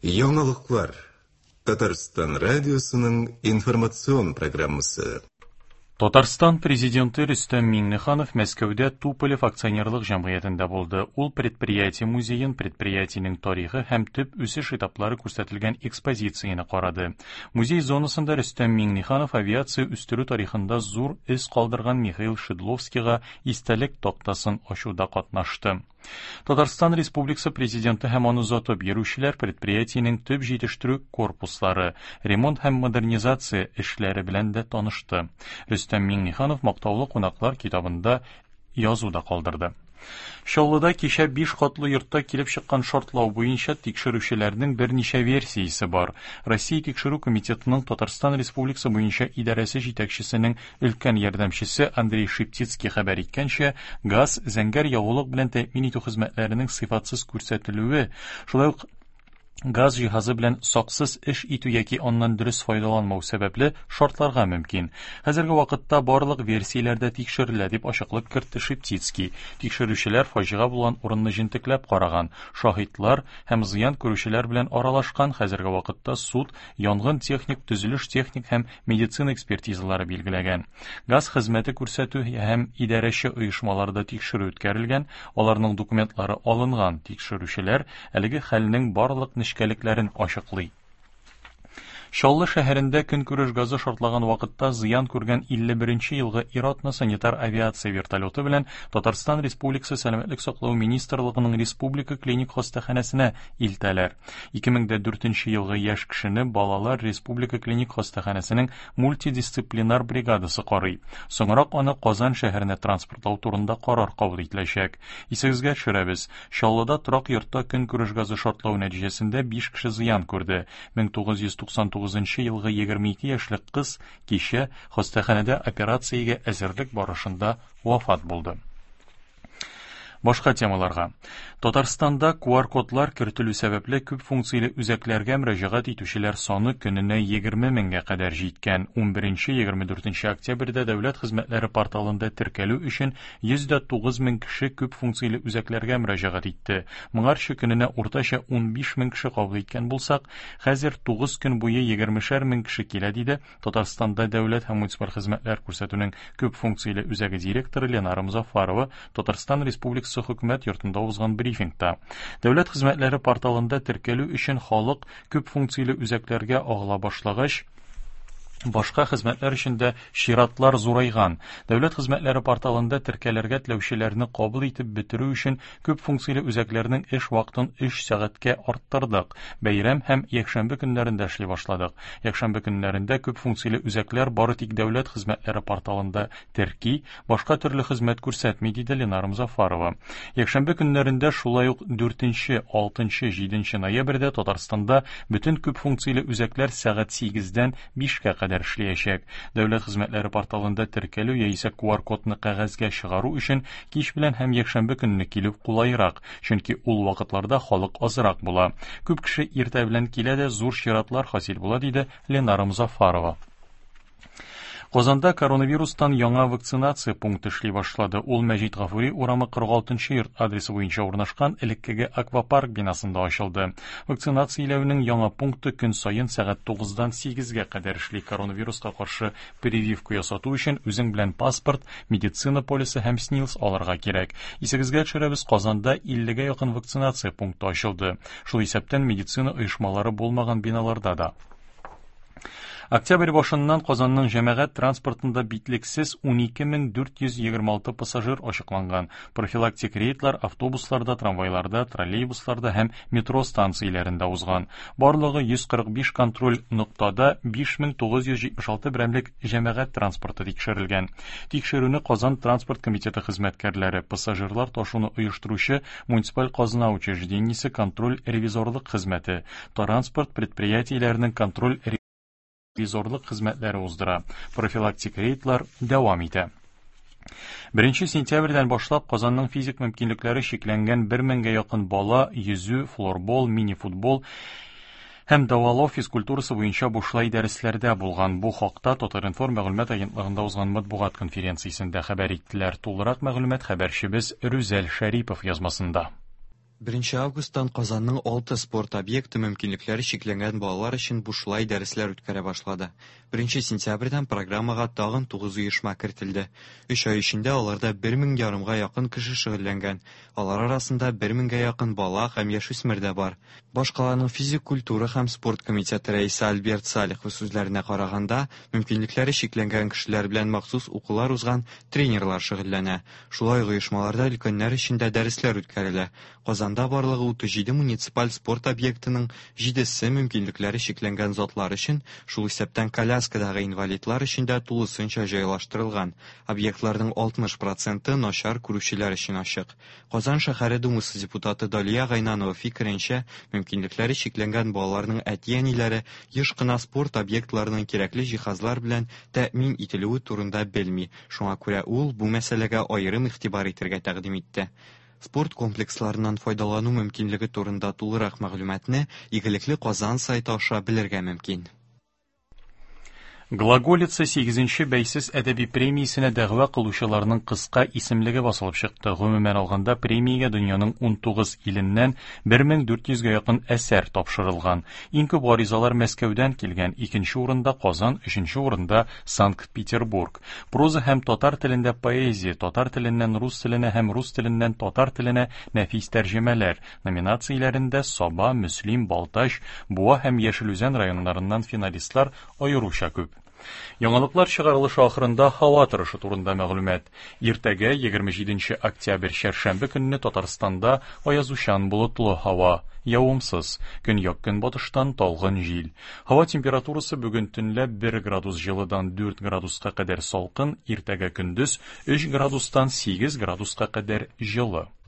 Яңалыклар. Татарстан радиосының информацион программасы. Татарстан Президенты Рөстәм Миңнеханов Мәскәүдә Туполев акционерлык җәмгыятендә булды. Ул предприятие музеен, предприятиенең тарихы һәм төп үсеш этаплары күрсәтелгән экспозицияне карады. Музей зонасында Рөстәм Миңнеханов авиация үстерү тарихында зур эз калдырган Михаил Шидловскийга истәлек тактасын ачуда катнашты. Татарстан Республикасы Президенты һәм аны озатып йөрүчеләр предприятиенең төп җитештерү корпуслары, ремонт һәм модернизация эшләре белән дә танышты. Рөстәм Миңнеханов мактаулы кунаклар китабында язу да калдырды. Чаллыда кичә биш катлы йортта килеп чыккан шартлау буенча тикшерүчеләрнең берничә версиясе бар. Россия Тикшерү комитетының Татарстан Республикасы буенча идарәсе җитәкчесенең Өлкән ярдәмчесе Андрей Шептицкий хәбәр иткәнчә, газ, зәңгәр ягулык белән тәэмин итү хезмәтләренең сыйфатсыз күрсәтелүе, шулай ук газ җиһазы белән саксыз эш итү яки аннан дөрес файдаланмау сәбәпле шартларга мөмкин. Хәзерге вакытта барлык версияләр дә тикшерелә, дип ачыклык кертте Шептицкий. Тикшерүчеләр фаҗига булган урынны җентекләп караган, шаһитлар һәм зыян күрүчеләр белән аралашкан, хәзерге вакытта суд янгын-техник, төзелеш-техник һәм медицина экспертизалары билгеләгән. Газ хезмәте күрсәтү һәм идарәче оешмаларда тикшерү үткәрелгән, аларның документлары алынган. Тикшерүчеләр әлеге хәлнең барлык нечкәлекләрен ачыклый. Чаллы шәһәрендә көнкүреш газы шартлаган вакытта зыян күргән 51 нче елгы ир-атны санитар авиация вертолеты белән Татарстан Республикасы Сәламәтлек саклау министрлыгының республика клиник хастаханәсенә илтәләр. 2004 нче елгы яшь кешене Балалар республика клиник хастаханәсенең мультидисциплинар бригадасы карый. Соңрак аны Казан шәһәренә транспортлау турында карар кабул ителәчәк. Исегезгә төшерәбез, Чаллыда торак йортта көнкүреш газы шартлау нәтиҗәсендә биш кеше зыян күрде. 1999 нчы елгы 22 яшьлек кыз кичә хастаханәдә операциягә әзерлек барышында вафат булды. Башка темаларга. Татарстанда QR-кодлар кертелү сәбәпле күп функцияле үзәкләргә мөрәҗәгать итүчеләр саны көненә 20 меңгә кадәр җиткән. 11-24 октябрьдә дәүләт хезмәтләре порталында теркәлү өчен 109 мең кеше күп функцияле үзәкләргә мөрәҗәгать итте. Моңарчы көненә уртача 15 мең кеше кабул иткән булсак, хәзер 9 көн буе 20 мең кеше килә, диде Татарстанда дәүләт һәм муниципаль хезмәтләр күрсәтүнең күп функцияле үзәге директоры Ленара Мозаффарова Татарстан Республикасы Хөкүмәт йортында узган брифингта. Дәүләт хезмәтләре порталында теркәлү өчен халык күп функцияле үзәкләргә агыла башлагач, башка хезмәтләр өчен дә чиратлар зурайган. Дәүләт хезмәтләре порталында теркәлергә теләүчеләрне кабул итеп бетерү өчен Күп функцияле үзәкләрнең эш вакытын өч сәгатькә арттырдык. Бәйрәм һәм якшәмбе көннәрендә эшли башладык. Якшәмбе көннәрендә күп функцияле үзәкләр бары тик дәүләт хезмәтләре порталында терки, башка төрле хезмәт күрсәтми, диде Ленара Мозаффарова. Якшәмбе көннәрендә шулай ук дүртенче, алтынчы, җиденче ноябрьдә Татарстанда бөтен күп функцияле үзәкләр сәгать сигездән бишкә кадәр эшләячәк. Дәүләт хезмәтләре порталында теркәлү яисә QR-кодны кәгазьгә чыгару өчен кич белән һәм якшәмбе көнне килү кулайрак, чөнки ул вакытларда халык азрак була. Күп кеше иртә белән килә дә зур чиратлар хасил була, диде Ленара Мозаффарова. Казанда коронавирустан яңа вакцинация пункты эшли башлады. Ул Мәҗит Гафури урамы 46 нчы йорт адресы буенча урнашкан элеккеге аквапарк бинасында ачылды. Вакцинацияләүнең яңа пункты көн саен сәгать 9-дан 8-гә кадәр эшли. Коронавируска каршы прививка ясату өчен үзең белән паспорт, медицина полисы һәм СНИЛС алырга кирәк. Исегезгә төшерәбез, Казанда 50-гә якын вакцинация пункты ачылды. Шул исәптән медицина оешмалары булмаган биналарда да. Октябрь башыннан Казанның җәмәгать транспортында битлексез 12426 пассажир ачыкланган. Профилактик рейдлар автобусларда, трамвайларда, троллейбусларда һәм метро станцияләрендә узган. Барлыгы 145 контроль ноктада 5976 берәмлек җәмәгать транспорты тикшерелгән. Тикшерүне Казан транспорт комитеты хезмәткәрләре, пассажирлар ташуны оештыручы муниципаль казна учреждениесе контроль-ревизорлык хезмәте, Транспорт предприятиеләренең контроль-ревизорлык хезмәтләре уздыра. Профилактик рейдлар дәвам итә. Беренче сентябрьдән башлап Казанның физик мөмкинлекләре чикләнгән бер меңгә якын бала йөзү, флорбол, мини-футбол һәм дәвалау физкультурасы буенча бушлай дәресләрдә булган. Бу хакта Татар-информ мәгълүмат агентлыгында узган матбугат конференциясендә хәбәр иттеләр. Тулырак мәгълүмат хәбәрчебез Рүзәл Шәрипов язмасында. 1 августтан Казанның алты спорт объекты мөмкинлекләре чикләнгән балалар өчен бушлай дәресләр үткәрә башлады. 1 сентябрьдән программага тагын 9 оешма кертелде. Өч ай эчендә аларда 1 мең ярымга якын кеше шөгыльләнгән. Алар арасында 1 меңгә якын бала һәм яшүсмер дә бар. Башкаланың физик культура һәм спорт комитеты рәисе Альберт Салихов сүзләренә караганда, мөмкинлекләре чикләнгән кешеләр белән махсус укулар узган тренерлар шөгыльләнә. Шулай ук оешмаларда өлкәннәр өчен дә дәресләр үткәрелә. Казанда барлыгы 37 муниципаль спорт объектының җидесе мөмкинлекләре чикләнгән затлар өчен, шул исәптән коляскадагы инвалидлар өчен дә тулысынча җайлаштырылган. Объектларның 60 проценты начар күрүчеләр өчен ачык. Казан шәһәре Думасы депутаты Далия Гайнанова фикеренчә, мөмкинлекләре чикләнгән балаларның әти-әниләре еш кына спорт объектларының кирәкле җиһазлар белән тәэмин ителүе турында белми. Шуңа күрә ул бу мәсьәләгә аерым игътибар итәргә тәкъдим итте. Спорт комплексларыннан файдалану мөмкинлеге турында тулырак мәгълүматны Игелекле Казан сайты аша белергә мөмкин. Глаголица 8-нче бәйсез әдәби премиясенә дәгъва кылучыларның кыска исемлеге басылып чыкты. Гомумән алганда, премиягә дөньяның 19 иленнән 1400гә якын әсәр тапшырылган. Иң күп гаризалар Мәскәүдән килгән, икенче урында Казан, өченче урында Санкт-Петербург. Проза һәм татар телендә поэзия, татар теленнән рус теленә һәм рус теленнән татар теленә нәфис тәрҗемәләр номинацияләрендә Саба, Мөслим, Балтач, Буа һәм Яшел Үзән районнарыннан финалистлар аеруча күп. Яңалыклар чыгарылышы ахырында һава торышы турында мәгълүмат. Иртәгә 27 октябрь чәршәмбе көнне Татарстанда аязучан болытлы һава, явымсыз, көньяк көнбатыштан талгын җил. Һава температурасы бүген төнлә 1 градус җылыдан 4 градуска кадәр салкын, иртәгә көндез 3 градустан 8 градуска кадәр җылы.